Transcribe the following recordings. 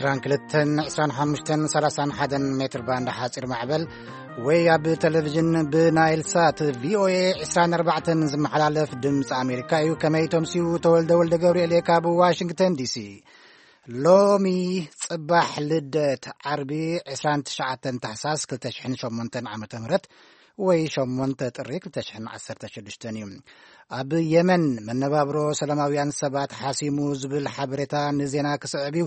ዕስራን ክልተን፣ ዕስራን ሓሙሽተን፣ ሰላሳን ሓደን ሜትር ባንድ ሓፂር ማዕበል ወይ ኣብ ቴሌቪዥን ብናይል ሳት ቪኦኤ ዕስራን ኣርባዕተን ዝመሓላለፍ ድምፂ ኣሜሪካ እዩ። ከመይ ተምስዩ? ተወልደ ወልደ ገብርኤል እየ ካብ ዋሽንግተን ዲሲ። ሎሚ ፅባሕ ልደት ዓርቢ ዕስራን ትሽዓተን ታሕሳስ ክልተ ሽሕን ሸሞንተን ዓመተ ምህረት ወይ ሸሞንተ ጥሪ ክልተ ሽሕን ዓሰርተ ሽዱሽተን እዩ። ኣብ የመን መነባብሮ ሰላማውያን ሰባት ሓሲሙ ዝብል ሓበሬታ ንዜና ክስዕብ እዩ።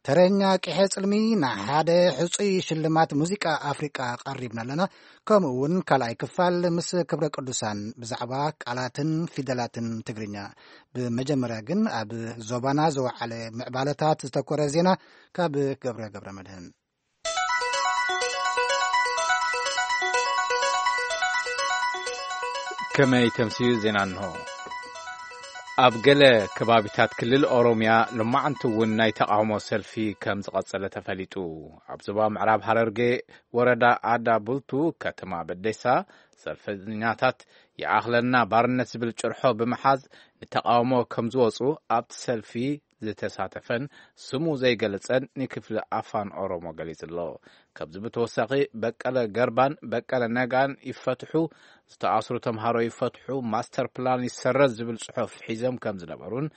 ተረኛ ቂሐ ጽልሚ ንሓደ ሕጹይ ሽልማት ሙዚቃ ኣፍሪቃ ቀሪብና ኣለና። ከምኡ እውን ካልኣይ ክፋል ምስ ክብረ ቅዱሳን ብዛዕባ ቃላትን ፊደላትን ትግርኛ። ብመጀመርያ ግን ኣብ ዞባና ዝወዓለ ምዕባለታት ዝተኮረ ዜና ካብ ገብረ ገብረ መድህን። ከመይ ተምስዩ ዜና እንሆ። ኣብ ገለ ከባቢታት ክልል ኦሮምያ ሎማዓንቲ እውን ናይ ተቃውሞ ሰልፊ ከም ዝቐጸለ ተፈሊጡ። ኣብ ዞባ ምዕራብ ሃረርጌ ወረዳ ኣዳ ቡልቱ ከተማ በዴሳ ሰልፈኛታት ይኣኽለና ባርነት ዝብል ጭርሖ ብምሓዝ ንተቃውሞ ከም ዝወጹ ኣብቲ ሰልፊ ዝተሳተፈን ስሙ ዘይገለጸን ንክፍሊ ኣፋን ኦሮሞ ገሊጹ ኣሎ። ካብዚ ብተወሳኺ በቀለ ገርባን በቀለ ነጋን ይፈትሑ፣ ዝተኣስሩ ተምሃሮ ይፈትሑ፣ ማስተር ፕላን ይሰረዝ ዝብል ጽሑፍ ሒዞም ከም ዝነበሩን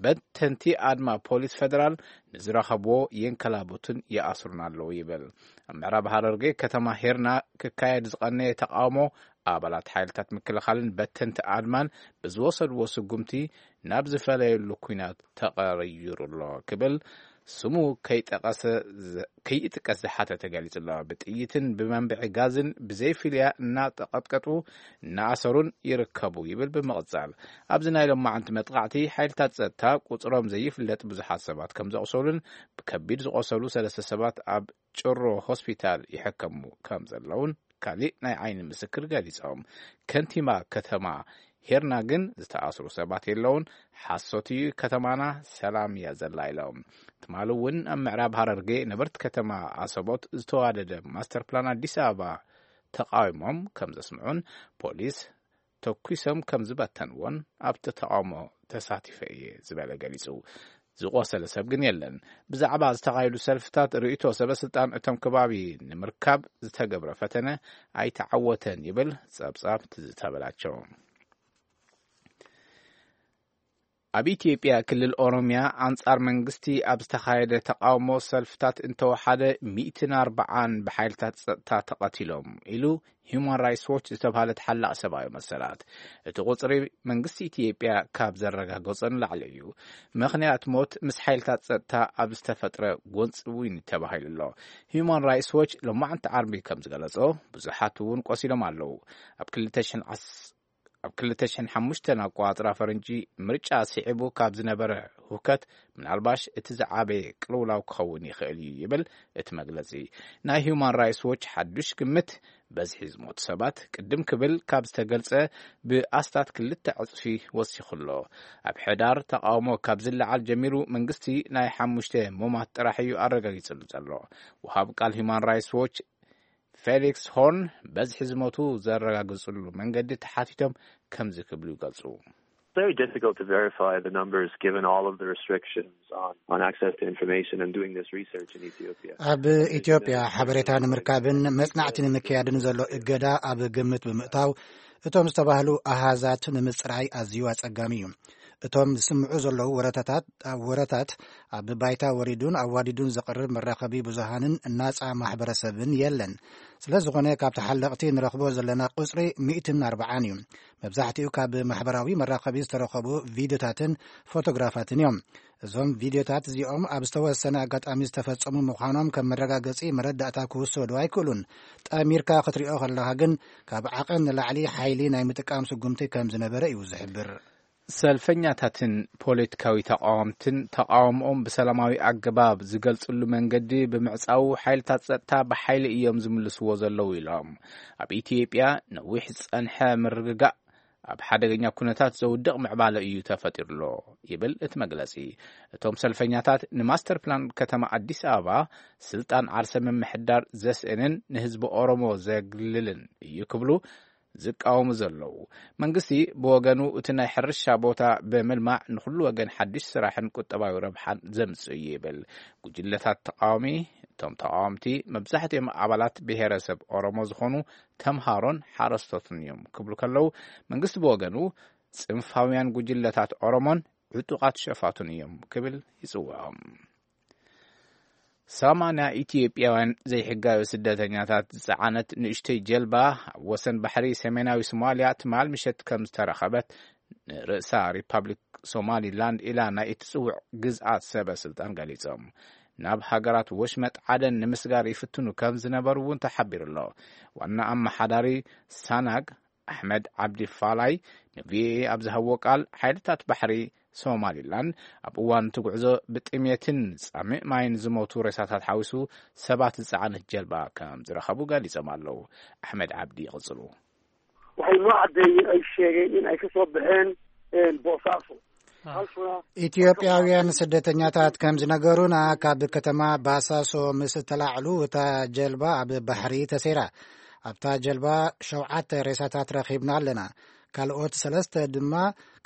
በተንቲ ኣድማ ፖሊስ ፌደራል ንዝረኸብዎ የንከላብቱን ይኣስሩን ኣለዉ ይብል። ኣብ ምዕራብ ሃረርጌ ከተማ ሄርና ክካየድ ዝቐነየ ተቃውሞ ኣባላት ሓይልታት ምክልኻልን በተንቲ ኣድማን ብዝወሰድዎ ስጉምቲ ናብ ዝፈለየሉ ኲናት ተቐይሩ ኣሎ ክብል ስሙ ከይጠቀሰ፣ ከይጥቀስ ዝሓተተ ገሊጹ ኣሎ። ብጥይትን ብመንብዒ ጋዝን ብዘይፍልያ እናተቐጥቀጡ እናኣሰሩን ይርከቡ ይብል ብምቕጻል። ኣብዚ ናይ ሎማዓንቲ መጥቃዕቲ ሓይልታት ጸጥታ ቁጽሮም ዘይፍለጥ ብዙሓት ሰባት ከም ዘቑሰሉን ብከቢድ ዝቖሰሉ ሰለስተ ሰባት ኣብ ጭሮ ሆስፒታል ይሕከሙ ከም ዘለውን ካሊእ ናይ ዓይኒ ምስክር ገሊጾም። ከንቲባ ከተማ ሄርና ግን ዝተኣስሩ ሰባት የለውን፣ ሓሶት እዩ፣ ከተማና ሰላም እያ ዘላ ኢሎም። ትማሊ እውን ኣብ ምዕራብ ሃረርጌ ነበርቲ ከተማ ኣሰቦት ዝተዋደደ ማስተር ፕላን ኣዲስ ኣበባ ተቃዊሞም ከም ዘስምዑን ፖሊስ ተኩሶም ከም ዝበተንዎን ኣብቲ ተቃውሞ ተሳቲፈ እየ ዝበለ ገሊጹ። ዝቆሰለ ሰብ ግን የለን። ብዛዕባ ዝተኻየዱ ሰልፍታት ርእይቶ ሰበ ስልጣን እቶም ከባቢ ንምርካብ ዝተገብረ ፈተነ ኣይተዓወተን ይብል ጸብጻብ ትዝታ በላቸው። ኣብ ኢትዮጵያ ክልል ኦሮምያ ኣንጻር መንግስቲ ኣብ ዝተኻየደ ተቃውሞ ሰልፍታት እንተወሓደ ሚእትን ኣርባዓን ብሓይልታት ጸጥታ ተቐቲሎም ኢሉ ሂዩማን ራይትስ ዎች ዝተባህለ ተሓላቒ ሰብኣዊ መሰላት። እቲ ቁጽሪ መንግስቲ ኢትዮጵያ ካብ ዘረጋገጾ ንላዕሊ እዩ። ምኽንያት ሞት ምስ ሓይልታት ጸጥታ ኣብ ዝተፈጥረ ጎንጺ እውን ተባሂሉ ኣሎ። ሂዩማን ራይትስ ዎች ሎማዕንቲ ዓርቢ ከም ዝገለጾ ብዙሓት እውን ቆሲሎም ኣለዉ። ኣብ ክልተ ሽሕን ዓስ-፣ ኣብ ክልተ ሽሕን ሓሙሽተን ኣቆጻጽራ ፈረንጂ ምርጫ ስዒቡ ካብ ዝነበረ ሁከት ምናልባሽ እቲ ዝዓበየ ቅልውላው ክኸውን ይኽእል እዩ ይብል እቲ መግለጺ። ናይ ሂዩማን ራይትስ ዎች ሓዱሽ ግምት በዝሒ ዝሞቱ ሰባት ቅድም ክብል ካብ ዝተገልጸ ብኣስታት ክልተ ዕጽፊ ወሲኹ ኣሎ። ኣብ ሕዳር ተቃውሞ ካብ ዝለዓል ጀሚሩ መንግስቲ ናይ ሓሙሽተ ሞማት ጥራሕ እዩ ኣረጋጊጽሉ ዘሎ። ወሃብ ቃል ሂዩማን ራይትስ ዎች ፌሊክስ ሆርን በዝሒ ዝሞቱ ዘረጋግጽሉ መንገዲ ተሓቲቶም ከምዚ ክብሉ ይገልጹ። Very difficult to verify the numbers given all of the restrictions on, on access to information and doing this research in Ethiopia. ኣብ ኢትዮጵያ ሓበሬታ ንምርካብን መጽናዕቲ ንምክያድን ዘሎ እገዳ ኣብ ግምት ብምእታው እቶም ዝተባህሉ ኣሃዛት ንምጽራይ ኣዝዩ ኣጸጋሚ እዩ። እቶም ዝስምዑ ዘለዉ ወረታታት፣ ወረታት ኣብ ባይታ ወሪዱን ኣዋዲዱን ዘቕርብ መራኸቢ ብዙሃንን ናጻ ማሕበረሰብን የለን። ስለ ዝኾነ ካብ ተሓለቕቲ ንረኽቦ ዘለና ቁጽሪ ሚእትን ኣርባዓን እዩ። መብዛሕትኡ ካብ ማሕበራዊ መራኸቢ ዝተረኸቡ ቪድዮታትን ፎቶግራፋትን እዮም። እዞም ቪድዮታት እዚኦም ኣብ ዝተወሰነ ኣጋጣሚ ዝተፈጸሙ ምዃኖም ከም መረጋገጺ መረዳእታ ክውሰዱ ኣይክእሉን። ጠሚርካ ክትሪኦ ከለኻ ግን ካብ ዓቐን ንላዕሊ ሓይሊ ናይ ምጥቃም ስጉምቲ ከም ዝነበረ እዩ ዝሕብር። ሰልፈኛታትን ፖለቲካዊ ተቃወምትን ተቃውሞኦም ብሰላማዊ ኣገባብ ዝገልጽሉ መንገዲ ብምዕጻዉ ሓይልታት ጸጥታ ብሓይሊ እዮም ዝምልስዎ ዘለዉ ኢሎም። ኣብ ኢትዮጵያ ነዊሕ ዝጸንሐ ምርግጋእ ኣብ ሓደገኛ ኩነታት ዘውድቕ ምዕባለ እዩ ተፈጢሩሎ ይብል እቲ መግለጺ። እቶም ሰልፈኛታት ንማስተር ፕላን ከተማ ኣዲስ ኣበባ ስልጣን ዓርሰ ምምሕዳር ዘስእንን ንህዝቢ ኦሮሞ ዘግልልን እዩ ክብሉ ዝቃወሙ ዘለዉ። መንግስቲ ብወገኑ እቲ ናይ ሕርሻ ቦታ ብምልማዕ ንኹሉ ወገን ሓድሽ ስራሕን ቁጠባዊ ረብሓን ዘምጽእ እዩ ይብል። ጉጅለታት ተቃዋሚ፣ እቶም ተቃወምቲ መብዛሕትኦም ኣባላት ብሄረሰብ ኦሮሞ ዝኾኑ ተምሃሮን ሓረስቶትን እዮም ክብሉ ከለዉ፣ መንግስቲ ብወገኑ ጽንፋውያን ጉጅለታት ኦሮሞን ዕጡቓት ሸፋቱን እዮም ክብል ይጽውዖም። ሰማንያ ኢትዮጵያውያን ዘይሕጋዊ ስደተኛታት ዝጸዓነት ንእሽተይ ጀልባ ኣብ ወሰን ባሕሪ ሰሜናዊ ሶማልያ ትማል ምሸት ከም ዝተረኸበት ንርእሳ ሪፓብሊክ ሶማሊላንድ ኢላ ናይ እትጽውዕ ግዝኣት ሰበ ስልጣን ገሊጾም። ናብ ሃገራት ወሽመጥ ዓደን ንምስጋር ይፍትኑ ከም ዝነበሩ እውን ተሓቢሩ ኣሎ። ዋና ኣመሓዳሪ ሳናግ ኣሕመድ ዓብዲ ፋላይ ንቪኦኤ ኣብ ዝሃብዎ ቃል፣ ሓይልታት ባሕሪ ሶማሊላንድ ኣብ እዋን እቲ ጉዕዞ ብጥሜትን ጻምእ ማይን ዝሞቱ ሬሳታት ሓዊሱ ሰባት ዝጸዓነት ጀልባ ከም ዝረኸቡ ገሊጾም ኣለዉ። ኣሕመድ ዓብዲ ይቕጽሉ። Waxay noo caddeeyeen, ay sheegeen in ay ka soo baxeen, een, Boosaaso. Halkuna ኢትዮጵያውያን ስደተኛታት ከም ዝነገሩና፣ ካብ ከተማ ባሳሶ ምስ እተላዕሉ፣ እታ ጀልባ ኣብ ባሕሪ ተሰይራ። ኣብታ ጀልባ ሸውዓተ ሬሳታት ረኺብና ኣለና። ካልኦት ሰለስተ ድማ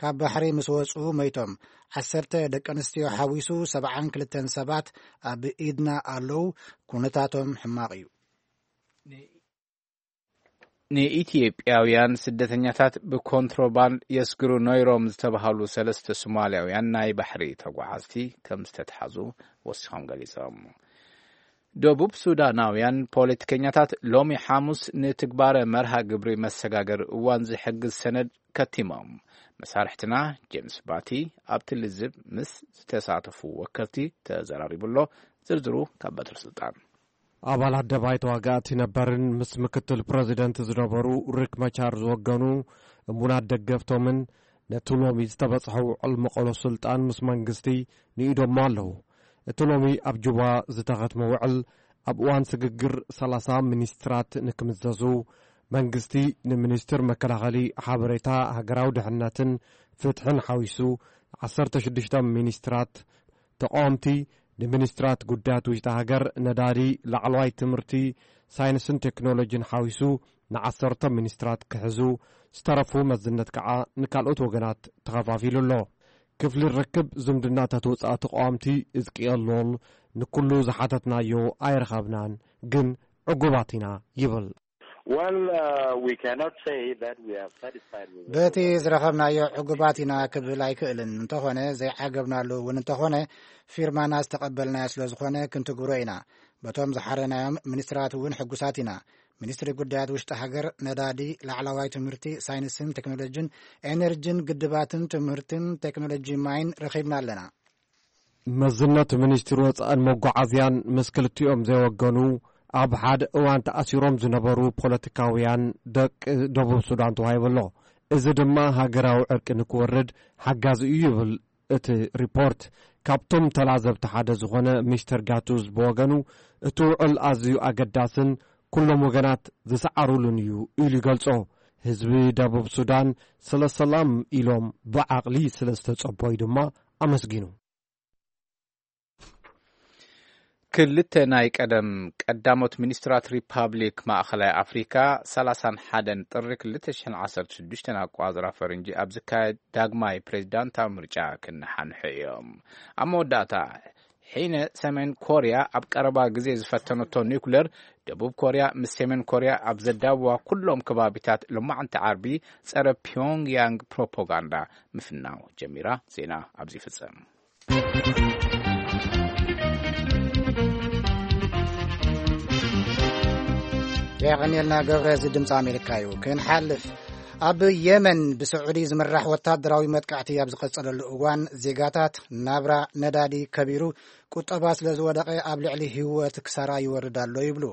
ካብ ባሕሪ ምስ ወጹ መይቶም። ዓሰርተ ደቂ ኣንስትዮ ሓዊሱ ሰብዓን ክልተን ሰባት ኣብ ኢድና ኣለዉ። ኩነታቶም ሕማቕ እዩ። ንኢትዮጵያውያን ስደተኛታት ብኮንትሮባንድ የስግሩ ነይሮም ዝተባህሉ ሰለስተ ሶማልያውያን ናይ ባሕሪ ተጓዓዝቲ ከም ዝተትሓዙ ወሲኾም ገሊጾም። ደቡብ ሱዳናውያን ፖለቲከኛታት ሎሚ ሓሙስ ንትግባረ መርሃ ግብሪ መሰጋገሪ እዋን ዝሕግዝ ሰነድ ከቲሞም። መሳርሕትና ጄምስ ባቲ ኣብቲ ልዝብ ምስ ዝተሳተፉ ወከልቲ ተዘራሪቡ ኣሎ። ዝርዝሩ ካብ በትሪ ስልጣን። ኣባላት ደባይ ተዋጋእቲ ነበርን ምስ ምክትል ፕረዚደንት ዝነበሩ ሪክ መቻር ዝወገኑ እሙናት ደገፍቶምን ነቲ ሎሚ ዝተበጽሐ ውዕል መቐሎ ስልጣን ምስ መንግስቲ ንኢዶሞ ኣለዉ። እቲ ሎሚ ኣብ ጁባ ዝተኸትመ ውዕል ኣብ እዋን ስግግር ሰላሳ ሚኒስትራት ንክምዘዙ፣ መንግስቲ ንሚኒስትር መከላኸሊ፣ ሓበሬታ፣ ሃገራዊ ድሕነትን ፍትሕን ሓዊሱ ዓሰርተ ሽዱሽተ ሚኒስትራት፣ ተቃወምቲ ንሚኒስትራት ጉዳያት ውሽጢ ሃገር፣ ነዳዲ፣ ላዕለዋይ ትምህርቲ፣ ሳይንስን ቴክኖሎጂን ሓዊሱ ንዓሰርተ ሚኒስትራት ክሕዙ፣ ዝተረፉ መዝነት ከዓ ንካልኦት ወገናት ተኸፋፊሉ ኣሎ። ክፍሊ ርክብ ዝምድናታት ወፃኢ ተቃወምቲ እዝቅኤል ሎል ንኩሉ ዝሓተትናዮ ኣይረኸብናን፣ ግን ዕጉባት ኢና ይብል። Well, uh, we cannot say that we are satisfied with the በቲ ዝረኸብናዮ ዕጉባት ኢና ክብል ኣይክእልን። እንተኾነ ዘይዓገብናሉ እውን እንተኾነ ፊርማና ዝተቐበልናዮ ስለ ዝኾነ ክንትግብሮ ኢና። በቶም ዝሓረናዮም ሚኒስትራት እውን ሕጉሳት ኢና። ሚኒስትሪ ጉዳያት ውሽጢ ሃገር፣ ነዳዲ፣ ላዕለዋይ ትምህርቲ፣ ሳይንስን ቴክኖሎጂን፣ ኤነርጂን ግድባትን ትምህርትን ቴክኖሎጂ ማይን ረኺብና ኣለና። መዝነት ሚኒስትሪ ወፃእን መጓዓዝያን ምስ ክልቲኦም ዘይወገኑ ኣብ ሓደ እዋን ተኣሲሮም ዝነበሩ ፖለቲካውያን ደቂ ደቡብ ሱዳን ተዋሂቡ ኣሎ። እዚ ድማ ሃገራዊ ዕርቂ ንክወርድ ሓጋዚ እዩ ይብል እቲ ሪፖርት። ካብቶም ተላዘብቲ ሓደ ዝኾነ ሚስተር ጋቱዝ ብወገኑ እቲ ውዕል ኣዝዩ ኣገዳስን ኩሎም ወገናት ዝሰዓሩሉን እዩ ኢሉ ይገልጾ። ህዝቢ ደቡብ ሱዳን ስለ ሰላም ኢሎም ብዓቕሊ ስለ ዝተጸበዩ ድማ ኣመስጊኑ። ክልተ ናይ ቀደም ቀዳሞት ሚኒስትራት ሪፓብሊክ ማእኸላይ ኣፍሪካ ሰላሳን ሓደን ጥሪ ክልተ ሽሕን ዓሰርተ ሽዱሽተን ኣቋፅራ ፈረንጂ ኣብ ዝካየድ ዳግማይ ፕሬዚዳንታዊ ምርጫ ክነሓንሑ እዮም። ኣብ መወዳእታ፣ ሒነ ሰሜን ኮርያ ኣብ ቀረባ ግዜ ዝፈተነቶ ኒውክለር፣ ደቡብ ኮርያ ምስ ሰሜን ኮርያ ኣብ ዘዳብዋ ኩሎም ከባቢታት ሎማዕንቲ ዓርቢ ጸረ ፒዮንግያንግ ፕሮፓጋንዳ ምፍናው ጀሚራ። ዜና ኣብዚ ይፍጸም። የቐንየልና ገብረ፣ እዚ ድምፂ ኣሜሪካ እዩ። ክንሓልፍ፣ ኣብ የመን ብስዑዲ ዝምራሕ ወታደራዊ መጥቃዕቲ ኣብ ዝቐጸለሉ እዋን፣ ዜጋታት ናብራ ነዳዲ ከቢሩ፣ ቁጠባ ስለ ዝወደቐ፣ ኣብ ልዕሊ ህይወት ክሳራ ይወርድ ኣሎ ይብሉ።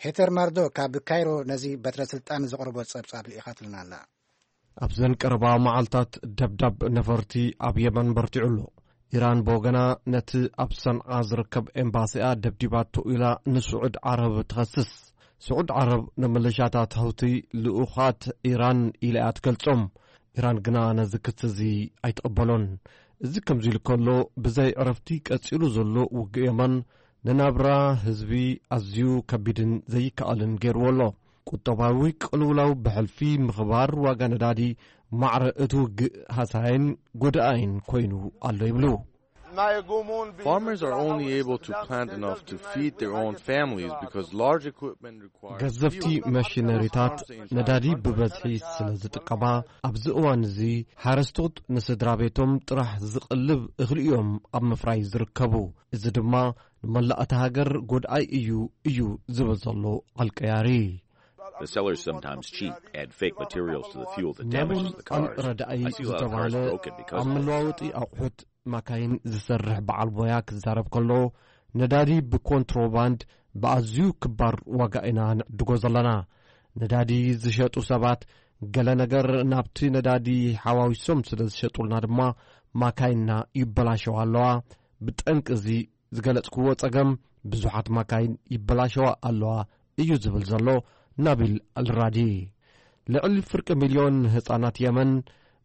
ሄተር ማርዶ ካብ ካይሮ ነዚ በትረ ስልጣን ዘቕርቦ ጸብጻብ ልኢኻትልና ኣላ። ኣብዘን ቀረባ መዓልታት ደብዳብ ነፈርቲ ኣብ የመን በርቲዑ ኣሎ። ኢራን ብወገና ነቲ ኣብ ሰንዓ ዝርከብ ኤምባሲኣ ደብዲባቶ ኢላ ንስዑድ ዓረብ ትኸስስ። ስዑድ ዓረብ ንመለሻታት ሀውቲ ልኡኻት ኢራን ኢላ እያ ትገልጾም። ኢራን ግና ነዚ ክሲ እዚ ኣይትቕበሎን። እዚ ከምዚ ኢሉ ከሎ፣ ብዘይ ዕረፍቲ ቀጺሉ ዘሎ ውግእ የመን ንናብራ ህዝቢ ኣዝዩ ከቢድን ዘይከኣልን ገይርዎ ኣሎ። ቁጠባዊ ቅልውላው ብሕልፊ ምኽባር ዋጋ ነዳዲ ማዕረ እቲ ውግእ ሃሳይን ጎዳኣይን ኮይኑ ኣሎ ይብሉ። Farmers are only able to plant enough to feed their own families because large equipment requires ገዘፍቲ መሽነሪታት ነዳዲ ብበዝሒ ስለ ዝጥቀማ ኣብዚ እዋን እዚ ሓረስቶት ንስድራ ቤቶም ጥራሕ ዝቐልብ እኽሊ እዮም ኣብ ምፍራይ ዝርከቡ። እዚ ድማ ንመላእ እታ ሃገር ጎድኣይ እዩ እዩ ዝብል ዘሎ ኣልቀያሪ። The sellers sometimes cheat, add fake materials to the fuel that ነብር damages the cars. ረዳኢ I see a lot of cars ዝተባለ broken because ኣብ of it. መለዋወጢ ኣቑሑት ማካይን ዝሰርሕ በዓል ሞያ ክዛረብ ከሎ ነዳዲ ብኮንትሮባንድ ብኣዝዩ ክባር ዋጋ ኢና ንዕድጎ ዘለና። ነዳዲ ዝሸጡ ሰባት ገለ ነገር ናብቲ ነዳዲ ሓዋዊሶም ስለ ዝሸጡልና ድማ ማካይንና ይበላሸዋ ኣለዋ። ብጠንቂ እዚ ዝገለጽክዎ ጸገም ብዙሓት ማካይን ይበላሸዋ ኣለዋ እዩ ዝብል ዘሎ ናቢል ኣልራዲ። ልዕሊ ፍርቂ ሚልዮን ህጻናት የመን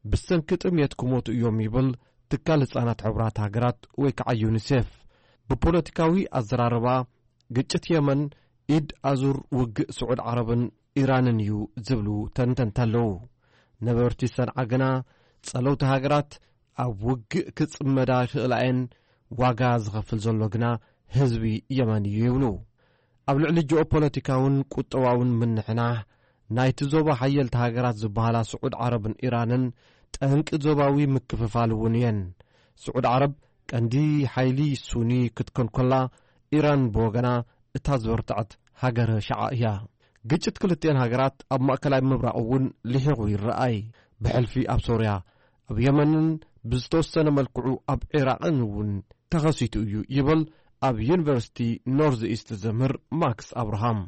ብሰንኪ ጥምየት ክሞቱ እዮም ይብል ትካል ህጻናት ሕቡራት ሃገራት ወይ ከዓ ዩኒሴፍ። ብፖለቲካዊ ኣዘራርባ ግጭት የመን ኢድ ኣዙር ውግእ ስዑድ ዓረብን ኢራንን እዩ ዝብሉ ተንተንቲ ኣለዉ። ነበርቲ ሰንዓ ግና ጸለውቲ ሃገራት ኣብ ውግእ ክጽመዳ ይኽእላ እየን፣ ዋጋ ዝኸፍል ዘሎ ግና ህዝቢ የመን እዩ ይብሉ። ኣብ ልዕሊ ጂኦፖለቲካውን ቁጠባውን ምንሕናሕ ናይቲ ዞባ ሓየልቲ ሃገራት ዝበሃላ ስዑድ ዓረብን ኢራንን ጠንቂ ዞባዊ ምክፍፋል እውን እየን። ስዑድ ዓረብ ቀንዲ ሓይሊ ሱኒ ክትኮን ከላ ኢራን ብወገና እታ ዝበርትዐት ሃገረ ሸዓ እያ። ግጭት ክልቲኤን ሃገራት ኣብ ማእከላይ ምብራቕ እውን ልሒቑ ይረኣይ። ብሕልፊ ኣብ ሶርያ፣ ኣብ የመንን ብዝተወሰነ መልክዑ ኣብ ዒራቕን እውን ተኸሲቱ እዩ ይብል ኣብ ዩኒቨርሲቲ ኖርዝ ኢስት ዘምህር ማክስ ኣብርሃም።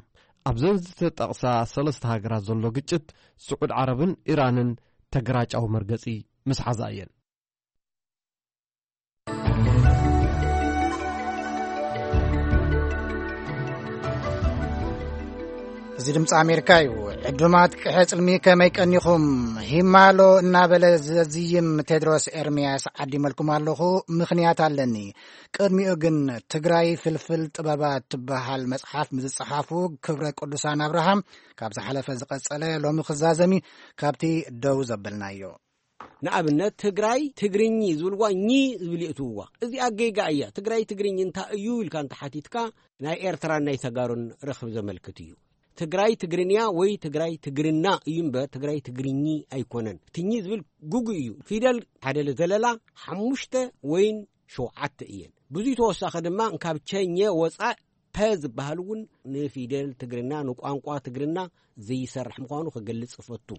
ኣብዘን ዝተጠቕሳ ሰለስተ ሃገራት ዘሎ ግጭት ስዑድ ዓረብን ኢራንን ተገራጫዊ መርገጺ ምስ ሓዛ እየን። እዚ ድምፂ ኣሜሪካ እዩ። ዕዱማት ቅሐ ፅልሚ ከመይ ቀኒኹም? ሂማሎ እናበለ ዘዝይም ቴድሮስ ኤርምያስ ዓዲመልኩም ኣለኹ። ምኽንያት ኣለኒ። ቅድሚኡ ግን ትግራይ ፍልፍል ጥበባት ትበሃል መፅሓፍ ምስ ዝፀሓፉ ክብረ ቅዱሳን ኣብርሃም ካብ ዝሓለፈ ዝቐፀለ ሎሚ ክዛዘሚ ካብቲ ደው ዘበልናዮ። ንኣብነት ትግራይ ትግርኚ ዝብልዋ ኚ ዝብል የእትውዋ። እዚኣ ጌጋ እያ። ትግራይ ትግርኝ እንታይ እዩ ኢልካ እንተሓቲትካ ናይ ኤርትራን ናይ ተጋሩን ርኽብ ዘመልክት እዩ። ትግራይ ትግርንያ ወይ ትግራይ ትግርና እዩ እምበር ትግራይ ትግርኚ ኣይኮነን። እቲ ኚ ዝብል ግጉ እዩ። ፊደል ሓደ ዘለላ ሓሙሽተ ወይን ሸውዓተ እየን። ብዙይ ተወሳኺ ድማ እንካብ ቸኘ ወፃእ ፐ ዝበሃል እውን ንፊደል ትግርና ንቋንቋ ትግርና ዘይሰርሕ ምዃኑ ክገልጽ እፈቱ።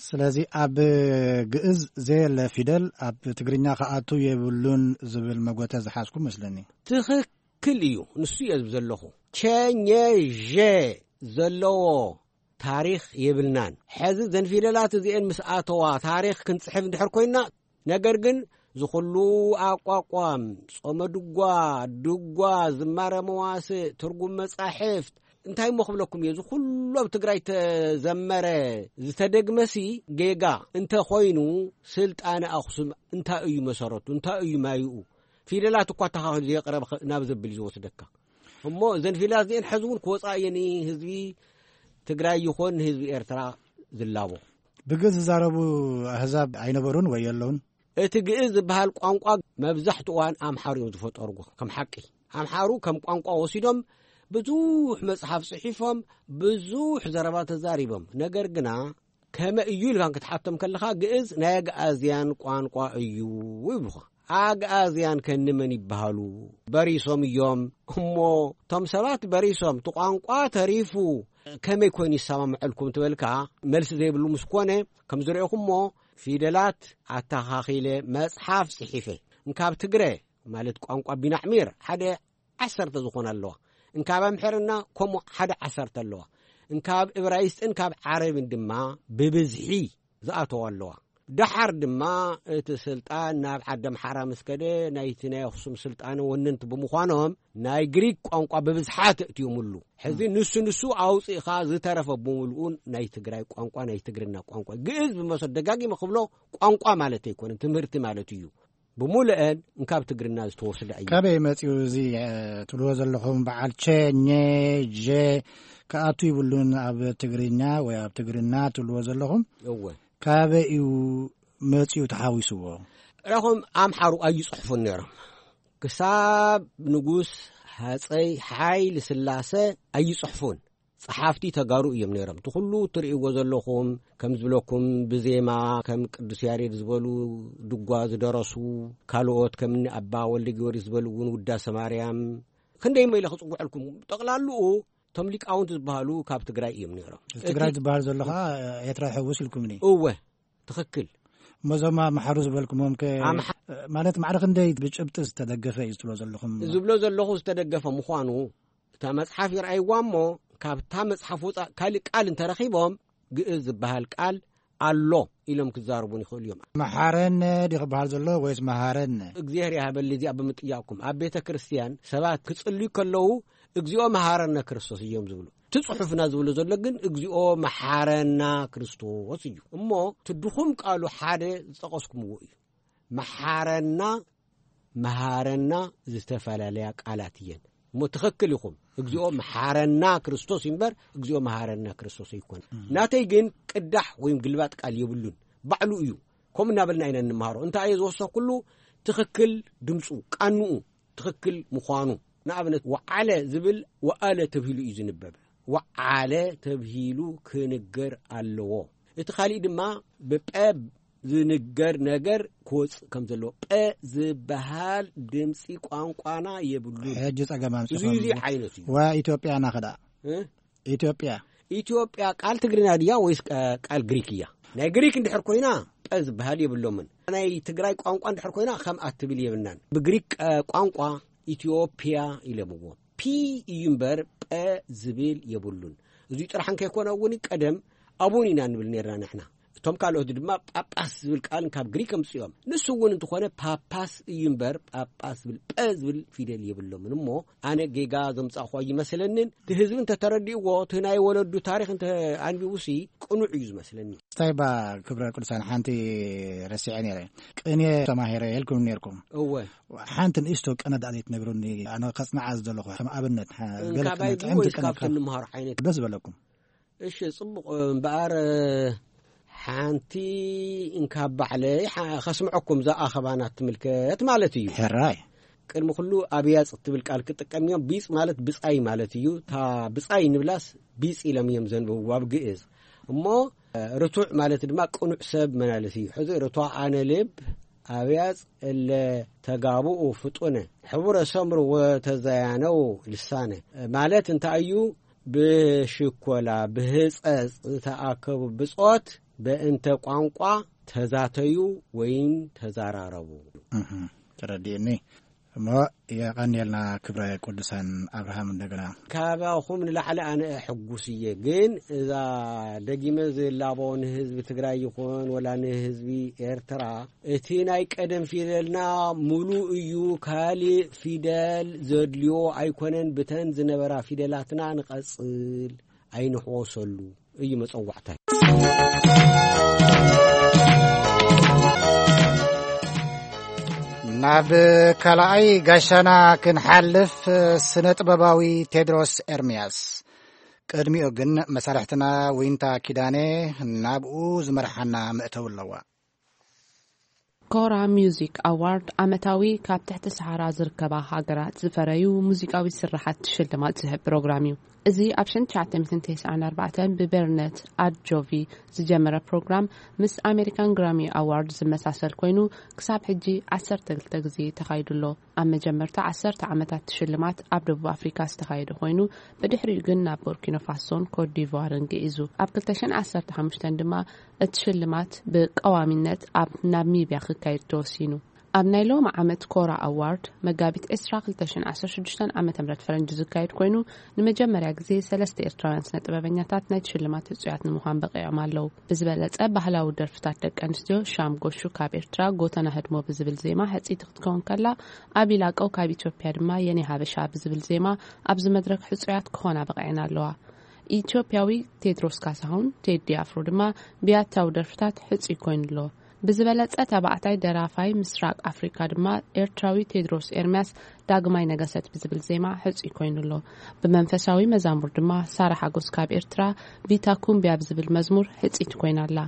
ስለዚ ኣብ ግእዝ ዘየለ ፊደል ኣብ ትግርኛ ክኣቱ የብሉን ዝብል መጎተ ዝሓዝኩ መስለኒ። ትኽክል እዩ። ንሱ እየ ዝብ ዘለኹ። ቸኘ ዠ ዘለዎ ታሪኽ የብልናን። ሕዚ ዘን ፊደላት እዚኤን ምስ ኣተዋ ታሪኽ ክንጽሕፍ እንድሕር ኮይና፣ ነገር ግን ዝኹሉ ኣቋቋም፣ ጾመ ድጓ፣ ድጓ፣ ዝማረ መዋስእ፣ ትርጉም መጻሕፍት፣ እንታይ እሞ ክብለኩም እየ፣ ዝኹሉ ኣብ ትግራይ ተዘመረ ዝተደግመሲ ጌጋ እንተ ኾይኑ፣ ስልጣነ ኣኽሱም እንታይ እዩ መሰረቱ? እንታይ እዩ ማይኡ? ፊደላት እኳ ኣተኻኺሉ ዘየቕረበ ኸ-፣ ናብ ዘብል እዩ ዝወስደካ። እሞ እዘን ፊደላት እዚኤን ሕዚ እውን ክወፃ እየን ህዝቢ ትግራይ ይኾን ንህዝቢ ኤርትራ ዝላቦ። ብግእዝ ዝዛረቡ ኣህዛብ ኣይነበሩን ወይ የለውን? እቲ ግእዝ ዝበሃል ቋንቋ መብዛሕትኡ እዋን ኣምሓሩ እዮም ዝፈጠርዎ። ከም ሓቂ ኣምሓሩ ከም ቋንቋ ወሲዶም ብዙሕ መጽሓፍ ጽሒፎም ብዙሕ ዘረባ ተዛሪቦም። ነገር ግና ከመ እዩ ኢልካ ክትሓቶም ከለኻ ግእዝ ናይ ኣግኣዝያን ቋንቋ እዩ ይብሉኻ። ኣግኣዝያን ከንመን ይበሃሉ? በሪሶም እዮም። እሞ እቶም ሰባት በሪሶም እቲ ቋንቋ ተሪፉ ከመይ ኮይኑ ይሰማምዐልኩም ትበልካ? መልሲ ዘይብሉ ምስ ኮነ ከም ዝረእኹሞ ፊደላት ኣተኻኺለ መጽሓፍ ጽሒፈ። እንካብ ትግረ ማለት ቋንቋ ቢናዕሚር ሓደ ዓሰርተ ዝኾና ኣለዋ። እንካብ ኣምሕርና ከምኡ ሓደ ዓሰርተ ኣለዋ። እንካብ እብራይስጥን ካብ ዓረብን ድማ ብብዝሒ ዝኣተዋ ኣለዋ። ደሓር ድማ እቲ ስልጣን ናብ ዓዲ ኣምሓራ ምስ ከደ ናይቲ ናይ ኣኽሱም ስልጣነ ወነንቲ ብምዃኖም ናይ ግሪክ ቋንቋ ብብዝሓ ተእትዮምሉ። ሕዚ ንሱ ንሱ ኣውፂእኻ ዝተረፈ ብምልኡ ናይ ትግራይ ቋንቋ ናይ ትግርና ቋንቋ ግእዝ ብመሰ ደጋጊመ ክብሎ ቋንቋ ማለት ኣይኮነን ትምህርቲ ማለት እዩ። ብምሉአን እንካብ ትግርና ዝተወስደ እዩ። ካበይ መጺኡ እዚ፣ እ፣ ትብልዎ ዘለኹም በዓል ቸ፣ ኘ፣ ዠ ክኣቱ ይብሉን ኣብ ትግርኛ ወይ ኣብ ትግርና ትብልዎ ዘለኹም? እወ። ካበይ እዩ መጺኡ ተሓዊስዎ? ረኹም ኣምሓሩ ኣይጽሕፉን ነይሮም። ክሳብ ንጉስ ሃጸይ ሓይሊ ስላሰ ኣይጽሕፉን። ጸሓፍቲ ተጋሩ እዮም ነይሮም። እቲ ኩሉ እትርእይዎ ዘለኹም፣ ከም ዝብለኩም፣ ብዜማ ከም ቅዱስ ያሬድ ዝበሉ ድጓ ዝደረሱ፣ ካልኦት ከም እኒ ኣባ ወልደ ጊዮርጊስ ዝበሉ እውን ውዳሰ ማርያም፣ ክንደይ መይለ ክጽውዐልኩም። ጠቕላልኡ እቶም ሊቃውንቲ ዝበሃሉ ካብ ትግራይ እዮም ነይሮም። እዚ ትግራይ ዝበሃል ዘሎ ኸዓ ኤርትራ ይሕውስ ኢልኩምኒ። እወ፣ ትኽክል። እሞ እዞም ኣምሓሩ ዝበልኩሞም ከ፣ ኣምሓ- ማለት ማዕረ ክንደይ ብጭብጢ ዝተደገፈ እዩ ዝብሎ ዘለኹም? ዝብሎ ዘለኹ ዝተደገፈ ምዃኑ፣ እታ መጽሓፍ ይርኣይዋ እሞ፣ ካብታ መጽሓፍ ወጻእ ካልእ ቃል እንተረኺቦም፣ ግእዝ ዝበሃል ቃል ኣሎ ኢሎም ክዛረቡን ይኽእሉ እዮም። መሓረነ ድዩ ክበሃል ዘሎ ወይስ መሃረነ? እግዚኣብሔር ይሃበሊ እዚኣ ብምጥያቕኩም። ኣብ ቤተ ክርስቲያን ሰባት ክጽልዩ ከለዉ፣ "እግዚኣብሔር መሃረነ ክርስቶስ" እዮም ዝብሉ። እቲ ጽሑፍና ዝብሎ ዘሎ ግን "እግዚኣብሔር መሓረና ክርስቶስ" እዩ። እሞ እቲ ድኹም ቃሉ ሓደ ዝጠቐስኩምዎ እዩ። መሓረና፣ መሃረና ዝተፈላለያ ቃላት እየን። እሞ ትኽክል ኢኹም። "እግዚኣብሔር መሓረና ክርስቶስ" እዩ እምበር "እግዚኣብሔር መሃረና ክርስቶስ" ኣይኮነ። እም። ናተይ ግን ቅዳሕ ወይም ግልባጥ ቃል የብሉን። ባዕሉ እዩ። ከምኡ እናበልና ኢና እንመሃሮ። እንታይ እየ ዝወሰኽኩሉ? ትኽክል ድምፁ፣ ቃንኡ ትኽክል ምዃኑ። ንኣብነት፣ ወዓለ ዝብል ወኣለ ተብሂሉ እዩ ዝንበብ። ወዓለ ተብሂሉ ክንገር ኣለዎ። እቲ ካሊእ ድማ ብጠ ዝንገር ነገር ክወፅእ ከም ዘለዎ። ጠ ዝበሃል ድምፂ ቋንቋና የብሉን። ሕጂ ፀገም ኣምፂኹም። እዚ፣ እዚ ዓይነት እዩ። ዋ ኢትዮጵያና ኸዳ። እ? ኢትዮጵያ። ኢትዮጵያ ቃል ትግርኛ ድያ ወይስ ቃ-፣ ቃል ግሪክ እያ? ናይ ግሪክ እንድሕር ኮይና፣ ጠ ዝበሃል የብሎምን። ናይ ትግራይ ቋንቋ እንድሕር ኮይና፣ ከምኣ ትብል የብልናን። ብግሪክ፣ እ፣ ቋንቋ ኢትዮጵያ ኢሎምዎ። ፒ እዩ እምበር፣ ጳ ዝብል የብሉን። እዚ ጥራሕ እንከይኮነ እውን፣ ቀደም ኣቡን ኢና ንብል ነርና ንሕና። እቶም ካልኦት ድማ ጳጳስ ዝብል ቃል ካብ ግሪክ ኣምጽኦም። ንሱ እውን እንተኾነ ጳጳስ እዩ እምበር፣ ጳጳስ ዝብል ጳ ዝብል ፊደል የብሎምን። እሞ ኣነ ጌጋ ዘምጻእኳ ይመስለንን፣ እቲ ህዝቢ እንተተረዲእዎ፣ እቲ ናይ ወለዱ ታሪኽ እንተ ኣንቢቡሲ ቅኑዕ እዩ ዝመስለኒ። ስታይባ ክብረ ቅዱሳን ሓንቲ ረሲዐ ነይረ። ቅኔ ተማሂረ ኢልኩም ነይርኩም። እወ። ሓንቲ ንእሽቶ ቅነ ዳኣ ዘይትነግሩኒ? ኣነ ከጽንዓ ዝደለኹ ከም ኣብነት፣ ሓ-፣ ገለ እንካባይ ቅነ፣ ጥዕምቲ ወይስ ቅነ ካብቲ ካብ እንምሃሮ ዓይነት? ደስ በለኩም። እሺ፣ ጽቡቕ እምበኣር፣ ሓንቲ እንካብ ባዕለይ ሓ-፣ ከስምዐኩም፣ እዛ ኣኸባና ትምልከት ማለት እዩ። ሕራይ። ቅድሚ ኩሉ ኣብያጽ እትብል ቃል ክጥቀም እዮም። ቢጽ ማለት ብጻይ ማለት እዩ። እታ ብጻይ ንብላስ ቢጽ ኢሎም እዮም ዘንብብዋ ብግእዝ። እሞ ርቱዕ ማለት ድማ ቅኑዕ ሰብ መናለሲ እዩ። ሕዚ ርቱዓነ ልብ ኣብያጽ እለ ተጋብኡ ፍጡነ፣ ሕቡረ ሰምሩ ወተዘያነው ልሳነ ማለት እንታይ እዩ? ብሽኮላ፣ ብህጸጽ ዝተኣከቡ ብጾት በእንተ ቋንቋ ተዛተዩ ወይም ተዛራረቡ። እህ፣ ተረዲእኒ። እሞ የቐንየልና ክብረ ቅዱሳን ኣብርሃም እንደገና። ካባኹም ንላዕሊ ኣነ ሕጉስ እየ፣ ግን እዛ ደጊመ ዝላቦ ንህዝቢ ትግራይ ይኹን ወላ ንህዝቢ ኤርትራ፣ እቲ ናይ ቀደም ፊደልና ሙሉእ እዩ፣ ካልእ ፊደል ዘድልዮ ኣይኮነን፣ ብተን ዝነበራ ፊደላትና ንቐጽል፣ ኣይንሕወሰሉ እዩ መጸዋዕታይ። ናብ ካልኣይ ጋሻና ክንሓልፍ፣ ስነ ጥበባዊ ቴድሮስ ኤርምያስ። ቅድሚኡ ግን መሳርሕትና ዊንታ ኪዳነ ናብኡ ዝመርሓና መእተዊ ኣለዋ። ኮራ ሚውዚክ ኣዋርድ ዓመታዊ ካብ ትሕቲ ሰሃራ ዝርከባ ሃገራት ዝፈረዩ ሙዚቃዊ ስርሓት ሽልማት ዝህብ ፕሮግራም እዩ። እዚ ኣብ ሸንትሽዓተ ሚእትን ተስዓን ኣርባዕተን ብበርነት ኣድጆቪ ዝጀመረ ፕሮግራም፣ ምስ ኣሜሪካን ግራሚ ኣዋርድ ዝመሳሰል ኮይኑ፣ ክሳብ ሕጂ ዓሰርተ ክልተ ግዜ ተኻይዱ ኣሎ። ኣብ መጀመርታ ዓሰርተ ዓመታት ሽልማት ኣብ ደቡብ ኣፍሪካ ዝተኻየደ ኮይኑ፣ ብድሕሪኡ ግን ናብ ቦርኪኖ ፋሶን ኮት ዲቯርን ግዒዙ። ኣብ ክልተ ሽሕን ዓሰርተ ሓሙሽተን ድማ እቲ ሽልማት ብቀዋሚነት ኣብ ናሚብያ ክካየድ ተወሲኑ። ኣብ ናይ ሎሚ ዓመት ኮራ ኣዋርድ፣ መጋቢት ዕስራ ክልተ ሽሕን ዓሰርተ ሽዱሽተን ዓመተ ምህረት ፈረንጂ ዝካየድ ኮይኑ፣ ንመጀመርያ ግዜ ሰለስተ ኤርትራውያን ስነ ጥበበኛታት ናይቲ ሽልማት ህጹያት ንምዃን በቒዖም ኣለዉ። ብዝበለጸ ባህላዊ ደርፍታት ደቂ ኣንስትዮ፣ ሻም ጎሹ ካብ ኤርትራ፣ ጎተና ህድሞ ብዝብል ዜማ ሕጽይቲ ክትከውን ከላ፣ ኣቢ ላቀው ካብ ኢትዮጵያ ድማ የኔ ሀበሻ ብዝብል ዜማ ኣብዚ መድረክ ሕጹያት ክኾና በቒዐን ኣለዋ። ኢትዮጵያዊ ቴድሮስ ካሳሁን፣ ቴዲ ኣፍሮ፣ ድማ ብያታዊ ደርፍታት ሕጹይ ኮይኑ ኣሎ። ብዝበለጸ ተባዕታይ ደራፋይ ምስራቅ ኣፍሪካ ድማ ኤርትራዊ ቴድሮስ ኤርምያስ ዳግማይ ነገሰት ብዝብል ዜማ ሕጹይ ኮይኑ ኣሎ። ብመንፈሳዊ መዛሙር ድማ ሳራ ሓጎስ ካብ ኤርትራ ቪታ ኩምቢያ ብዝብል መዝሙር ሕጽይቲ ኮይና ኣላ።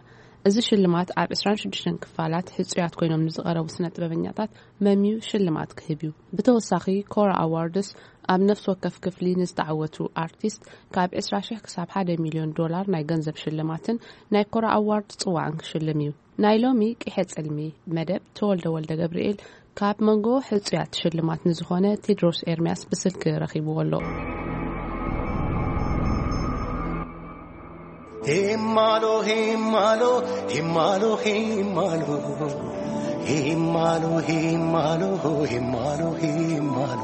እዚ ሽልማት ኣብ ዕስራን ሽዱሽተን ክፋላት ሕጹያት ኮይኖም ንዝቐረቡ ስነ ጥበበኛታት መምዩ ሽልማት ክህብ እዩ። ብተወሳኺ ኮራ ኣዋርድስ ኣብ ነፍሲ ወከፍ ክፍሊ ንዝተዓወቱ ኣርቲስት ካብ ዕስራ ሺሕ ክሳብ ሓደ ሚልዮን ዶላር ናይ ገንዘብ ሽልማትን ናይ ኮራ ኣዋርድ ጽዋዕን ክሽልም እዩ። ናይ ሎሚ ቂሐ ጽልሚ መደብ ተወልደ ወልደ ገብርኤል ካብ መንጎ ሕጹያት ሽልማት ንዝኾነ ቴድሮስ ኤርምያስ ብስልኪ ረኺብዎ ኣሎ። ሄማሎ ሄማሎ ሄማሎ ሄማሎ ሄማሎ ሄማሎ ሄማሎ ሄማሎ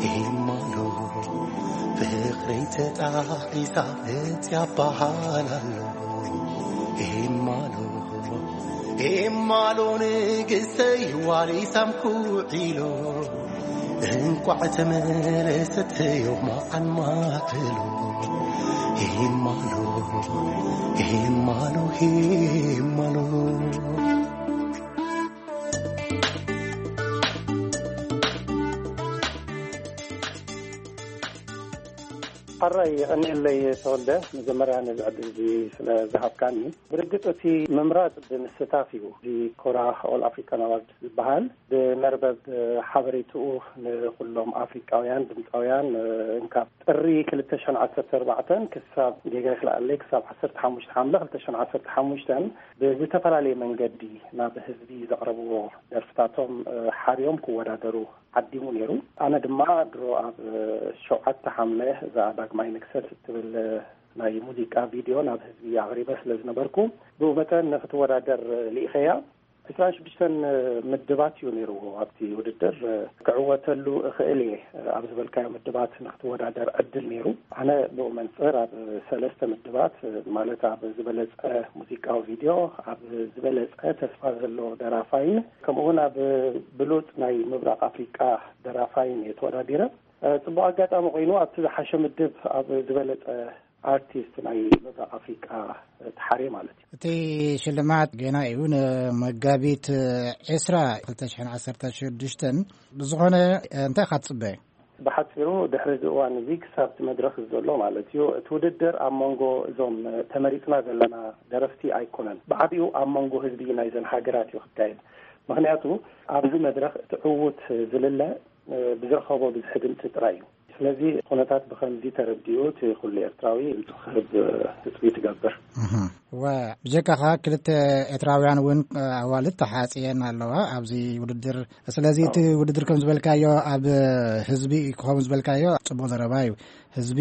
ሄማሎ ፍቕረይ ተጣሒሳ እጽያ በሃል ኣሎ። ሄማሎ ሄማሎ ንግስተይ ዋሊሳም ኩዒሎ እንቋዕ ተመለሰት ዮማዓን ማዕሎ። ሄማሎ ሄማሎ ሄማሎ ሓራይ የቐንየለይ ተወልደ፣ መጀመርያ ነዚ ዕድል እዚ ስለ ዝሃብካኒ። ብርግጽ እቲ ምምራጽ ብምስታፍ እዩ። እዚ ኮራ ኦል ኣፍሪካን ኣዋርድ ዝበሃል ብመርበብ ሓበሬትኡ ንኩሎም ኣፍሪቃውያን ድምፃውያን እንካብ ጥሪ ክልተ ሽሕን ዓሰርተ ኣርባዕተን ክሳብ ጌጋ ይክልኣለይ ክሳብ ዓሰርተ ሓሙሽተ ሓምለ ክልተ ሽሕን ዓሰርተ ሓሙሽተን ብዝተፈላለየ መንገዲ ናብ ህዝቢ ዘቕረብዎ ደርፍታቶም ሓርዮም ክወዳደሩ ዓዲሙ ነይሩ። ኣነ ድማ ድሮ ኣብ ሸውዓተ ሓምለ እዛ ዳግማይ ንግሰት እትብል ናይ ሙዚቃ ቪድዮ ናብ ህዝቢ ኣቕሪበ ስለ ዝነበርኩ ብኡ መጠን ንክትወዳደር ልኢኸያ። ዕስራን ሽዱሽተን ምድባት እዩ ነይርዎ ኣብቲ ውድድር። ክዕወተሉ እኽእል እየ ኣብ ዝበልካዮ ምድባት ንክትወዳደር ዕድል ነይሩ። ኣነ ብኡ መንፅር ኣብ ሰለስተ ምድባት ማለት ኣብ ዝበለፀ ሙዚቃዊ ቪድዮ፣ ኣብ ዝበለፀ ተስፋ ዘለዎ ደራፋይን ከምኡ እውን ኣብ ብሉፅ ናይ ምብራቕ ኣፍሪቃ ደራፋይን እየ ተወዳዲረ። ፅቡቕ ኣጋጣሚ ኮይኑ ኣብቲ ዝሓሸ ምድብ ኣብ ዝበለፀ ኣርቲስት ናይ ምብራቕ ኣፍሪቃ ተሓርየ ማለት እዩ። እቲ ሽልማት ጌና እዩ ንመጋቢት ዕስራ ክልተ ሽሕን ዓሰርተ ሽዱሽተን። ብዝኾነ እንታይ ኢኻ ትጽበ? ብሓፂሩ ድሕሪ እዚ እዋን እዚ ክሳብ እቲ መድረኽ ዘሎ ማለት እዩ እቲ ውድድር ኣብ መንጎ እዞም ተመሪፅና ዘለና ደረፍቲ ኣይኮነን። ብዓቢኡ ኣብ መንጎ ህዝቢ ናይዘን ሃገራት እዩ ክካየድ። ምክንያቱ ኣብዚ መድረኽ እቲ ዕዉት ዝልለ ብዝረኸቦ ብዝሒ ድምፂ ጥራይ እዩ። ስለዚ ኩነታት ብኸምዚ ተረዲኡ እቲ ኩሉ ኤርትራዊ ድምፁ ክህብ ትፅቢት ይገብር። እወ፣ ብጀካኻ ክልተ ኤርትራውያን እውን ኣዋልድ ተሓፅየን ኣለዋ ኣብዚ ውድድር። ስለዚ እቲ ውድድር ከም ዝበልካዮ ኣብ ህዝቢ ክኸውን ዝበልካዮ ፅቡቕ ዘረባ እዩ። ህዝቢ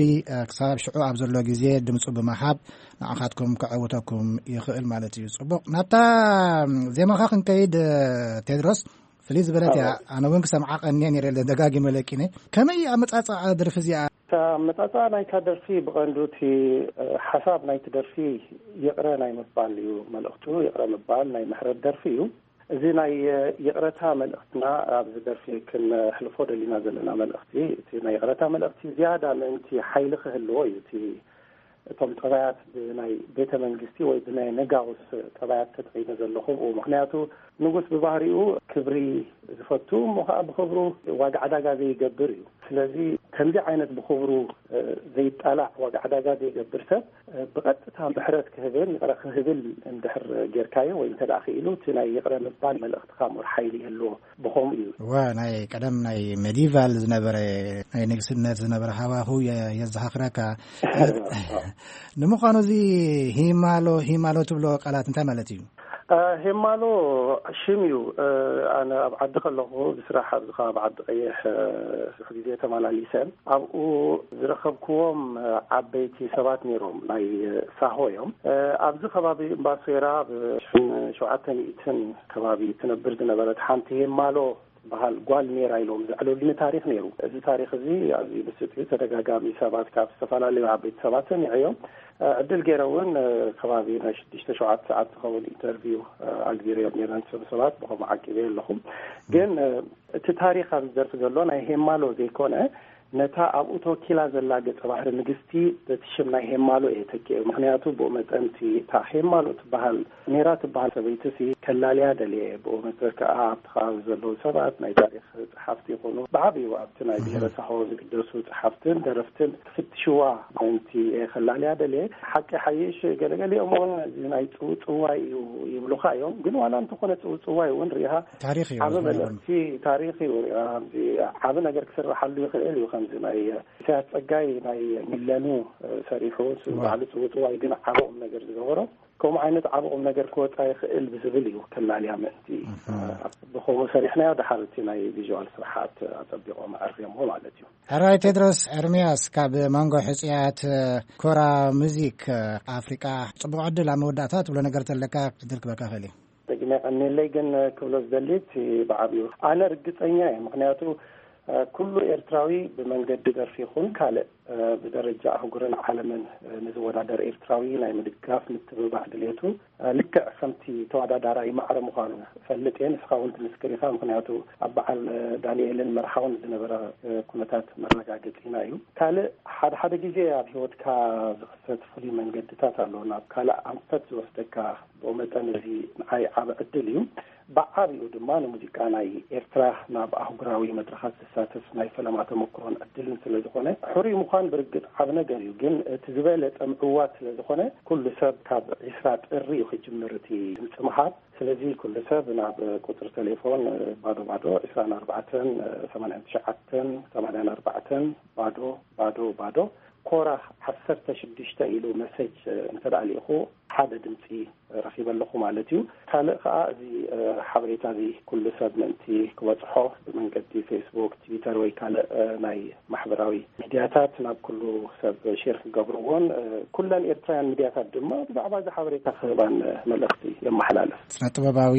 ክሳብ ሽዑ ኣብ ዘሎ ግዜ ድምፁ ብምሃብ ንዓኻትኩም ከዐውተኩም ይኽእል ማለት እዩ። ፅቡቕ፣ ናብታ ዜማኻ ክንከይድ ቴድሮስ። ፍልይ ዝበለት እያ። ኣነ እውን ክሰምዓ ቀንየ ነይረ፣ ደጋጊመ ለቂነ። ከመይ ኣመጻጽኣ ደርፊ እዚኣ? እታ ኣመጻጽኣ ናይታ ደርፊ ብቐንዱ እቲ ሓሳብ ናይቲ ደርፊ ይቕረ ናይ ምባል እዩ መልእኽቱ። ይቕረ ምባል ናይ ምሕረት ደርፊ እዩ። እዚ ናይ ይቕረታ መልእኽትና ኣብዚ ደርፊ ክነሕልፎ ደሊና ዘለና መልእኽቲ፣ እቲ ናይ ይቕረታ መልእኽቲ ዝያዳ ምእንቲ ሓይሊ ክህልዎ እዩ። እቲ እቶም ጠባያት ብናይ ቤተ መንግስቲ ወይ ብናይ ነጋውስ ጠባያት ተጠቒመ ዘለኹ። ምኽንያቱ ንጉስ ብባህሪኡ ክብሪ ዝፈቱ እሞ ከዓ ብክብሩ ዋጋ ዕዳጋ ዘይገብር እዩ። ስለዚ ከምዚ ዓይነት ብክብሩ ዘይጣላዕ ዋጋ ዕዳጋ ዘይገብር ሰብ ብቐጥታ ምሕረት ክህብን ይቕረ ክህብል እንድሕር ጌርካዮ ወይ እንተ ደኣ ክኢሉ እቲ ናይ ይቕረ ምባል መልእኽትኻ ምር ሓይሊ ይህልዎ። ብኸምኡ እዩ። እወ፣ ናይ ቀደም ናይ ሜዲቫል ዝነበረ ናይ ንግስነት ዝነበረ ሃዋሁ የዘኻኽረካ። ንምዃኑ እዚ ሂማሎ ሂማሎ ትብሎ ቃላት እንታይ ማለት እዩ? ሄማሎ ሽም እዩ። ኣነ ኣብ ዓዲ ከለኹ ብስራሕ ኣብዚ ከባቢ ዓዲ ቀይሕ ብዙሕ ግዜ ተመላሊሰ ኣብኡ ዝረኸብክዎም ዓበይቲ ሰባት ነይሮም፣ ናይ ሳሆ እዮም። ኣብዚ ከባቢ እምባሶይራ ኣብ ሸውዓተ ሚእትን ከባቢ ትነብር ዝነበረት ሓንቲ ሄማሎ ትበሃል ጓል ነይራ ኢሎም ዘዕለሉኒ ታሪኽ ነይሩ። እዚ ታሪኽ እዚ ኣዝዩ ምስጥ እዩ። ተደጋጋሚ ሰባት ካብ ዝተፈላለዩ ዓበይቲ ሰባት ሰሚዐዮም። ዕድል ገይረ እውን ከባቢ ናይ ሽዱሽተ ሸውዓተ ሰዓት ዝኸውን ኢንተርቪው ኣግቢረዮም ነይረ ንሰብ ሰባት ብኸምኡ ዓቂበዮ ኣለኹ። ግን እቲ ታሪኽ ኣብዚ ደርፊ ዘሎ ናይ ሄማሎ ዘይኮነ ነታ ኣብኡ ተወኪላ ዘላ ገጸ ባህሪ ንግስቲ በቲ ሽም ናይ ሄማሎ እየ ተኪኤ። ምኽንያቱ ብኡ መጠን እቲ፣ እታ ሄማሎ ትበሃል፣ ሜራ ትበሃል ሰበይቲ ሲ ከላልያ ደልየ። ብኡ መጠን ከኣ ኣብቲ ከባቢ ዘለዉ ሰባት፣ ናይ ታሪኽ ጸሓፍቲ ይኹኑ፣ ብዓቢኡ ኣብቲ ናይ ብሔረ ሳሆ ዝግደሱ ጸሓፍትን ደረፍትን ክፍትሽዋ ምእንቲ እየ ከላልያ ደልየ። ሓቂ ሓይሽ፣ ገለገሊኦም እውን እዚ ናይ ጽውጽዋይ እዩ ይብሉኻ እዮም። ግን ዋላ እንተኾነ ጽውጽዋይ እውን ርኢኻ ታሪኽ እዩ፣ ዓቢ ዝኾነ መልእኽቲ ታሪኽ እዩ። ርኢኻ፣ ኣብዚ ዓቢ ነገር ክስርሓሉ ይኽእል እዩ። ከምዚ ናይ ኢሳያስ ጸጋይ ናይ ሚለኑ፣ እ፣ ሰሪሑ፣ ዋ። ባዕሉ ጽውጽዋይ ግን ዓቢ ቁም ነገር ዝገበሮ፣ ከምኡ ዓይነት ዓቢ ቁም ነገር ክወጻ ይኽእል ብዝብል እዩ ከላልያ ምእንቲ፣ እህ። እ፣ ብኸምኡ ሰሪሕናዮ። ደሓር እቲ ናይ ቪዥዋል ስርሓት ኣጸቢቖም ኣርዮምዎ ማለት እዩ። ሕራይ ቴድሮስ ኤርምያስ ካብ መንጎ ሕጹያት ኮራ ሙዚክ ኣፍሪቃ ጽቡቕ ዕድል። ኣብ መወዳእታ ትብሎ ነገር ተለካ ክትብል ክበካ ኽእል እዩ። ደጊመ ቀኒለይ ግን ክብሎ ዝደሊ እቲ ብዓብዩ ኣነ ርግጸኛ እየ። ምኽንያቱ፣ እ፣ ኩሉ ኤርትራዊ ብመንገዲ ደርፊ ይኹን ካልእ፣ እ፣ ብደረጃ ኣህጉርን ዓለምን፣ እ፣ ንዝወዳደር ኤርትራዊ ናይ ምድጋፍ ምትብባዕ ድሌቱ፣ እ፣ ልክዕ ከምቲ ተወዳዳራይ ማዕረ ምዃኑ እፈልጥ እየ። ንስኻ እውን ትምስክር ኢኻ። ምኽንያቱ ኣብ በዓል፣ እ፣ ዳንኤልን መርሓውን ዝነበረ፣ እ፣ ኩነታት መረጋገጺና እዩ። ካልእ ሓደ ሓደ ግዜ ኣብ ህይወትካ ዝኽሰት ፍሉይ መንገድታት ኣሎ፣ ናብ ካልእ ኣንፈት ዝወስደካ። ብኡ መጠን እዚ ንዓይ ዓቢ ዕድል እዩ። ብዓቢኡ ድማ ንሙዚቃ ናይ ኤርትራ ናብ ኣህጉራዊ መድረኻት ዘሳትፍ ናይ ፈለማ ተመክሮን ዕድልን ስለ ዝኾነ፣ ሕሩይ ምዃን ብርግጽ ዓቢ ነገር እዩ። ግን እቲ ዝበለጸ ምዕዋት ስለ ዝኾነ፣ ኩሉ ሰብ ካብ ዒስራ ጥሪ እዩ ክጅምር እቲ ድምጺ ምሃብ። ስለዚ ኩሉ ሰብ ናብ ቁጽሪ ቴሌፎን ባዶ ባዶ ዒስራን ኣርባዕተን ሰማንያን ትሽዓተን ሰማንያን ኣርባዕተን ባዶ ባዶ ባዶ፣ ኮራ ዓሰርተ ሽዱሽተ ኢሉ መሰጅ እንተ ደኣ ልኢኹ፣ ሓደ ድምጺ ረኺበ ኣለኹ ማለት እዩ። ካልእ ከኣ እዚ፣ እ፣ ሓበሬታ እዚ ኩሉ ሰብ ምእንቲ ክበጽሖ ብመንገዲ ፌስቡክ፣ ትዊተር ወይ ካልእ፣ እ፣ ናይ ማሕበራዊ ሚድያታት ናብ ኩሉ ሰብ ሼር ክገብርዎን፣ እ፣ ኩለን ኤርትራውያን ሚድያታት ድማ ብዛዕባ እዚ ሓበሬታ ክህባን፣ እ፣ መልእኽቲ የመሓላልፍ። ስነ ጥበባዊ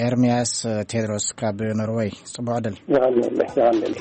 ኤርምያስ ቴድሮስ ካብ ኖርወይ፣ ጽቡቕ ዕድል። የቐንየለይ፣ የቐንየለይ።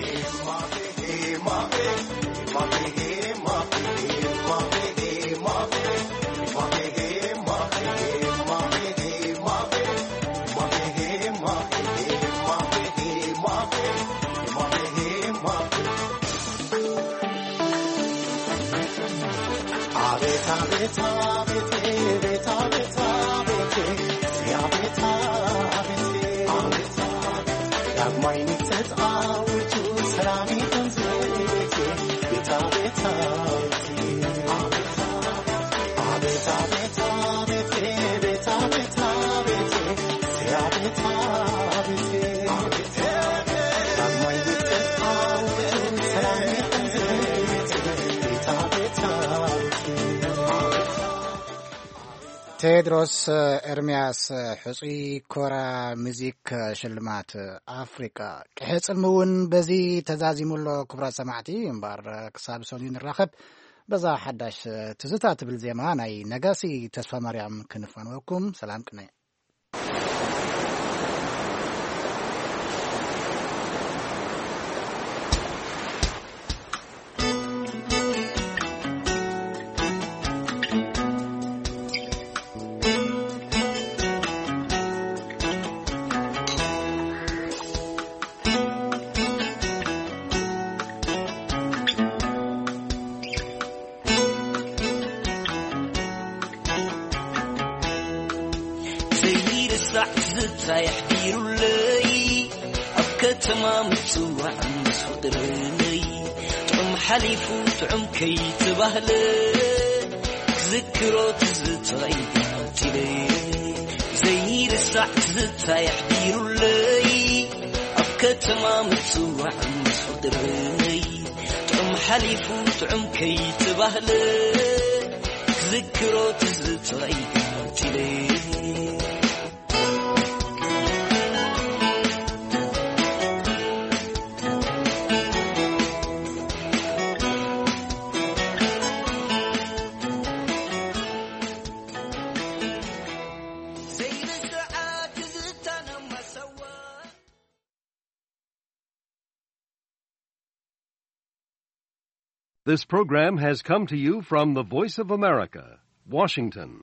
ቴድሮስ ኤርምያስ፣ ሕጹይ ኮራ ሙዚክ ሽልማት ኣፍሪቃ። ቅሐ ጽልሚ እውን በዚ ተዛዚሙ ኣሎ። ክቡራት ሰማዕቲ፣ እምበኣር ክሳብ ሰኑይ ንራኸብ፣ በዛ ሓዳሽ ትዝታ ትብል ዜማ ናይ ነጋሲ ተስፋ ማርያም ክንፋንወኩም። ሰላም ቅነ። ዘይርሳዕ ትዝታ የሕዲሩለይ፣ ኣብ ከተማ ምጽዋዕ ምስ ፍቕረይ። ጥዑም ሓሊፉ ጥዑም ከይተባህለ፣ ክዝክሮ ትዝታይ ቀቲለ። ዘይርሳዕ ትዝታ የሕዲሩለይ፣ ኣብ ከተማ ምጽዋዕ ምስ ፍቕረይ። ጥዑም ሓሊፉ ጥዑም ከይተባህለ፣ ክዝክሮ ትዝታይ ቀቲለ። This program has come to you from the Voice of America, Washington.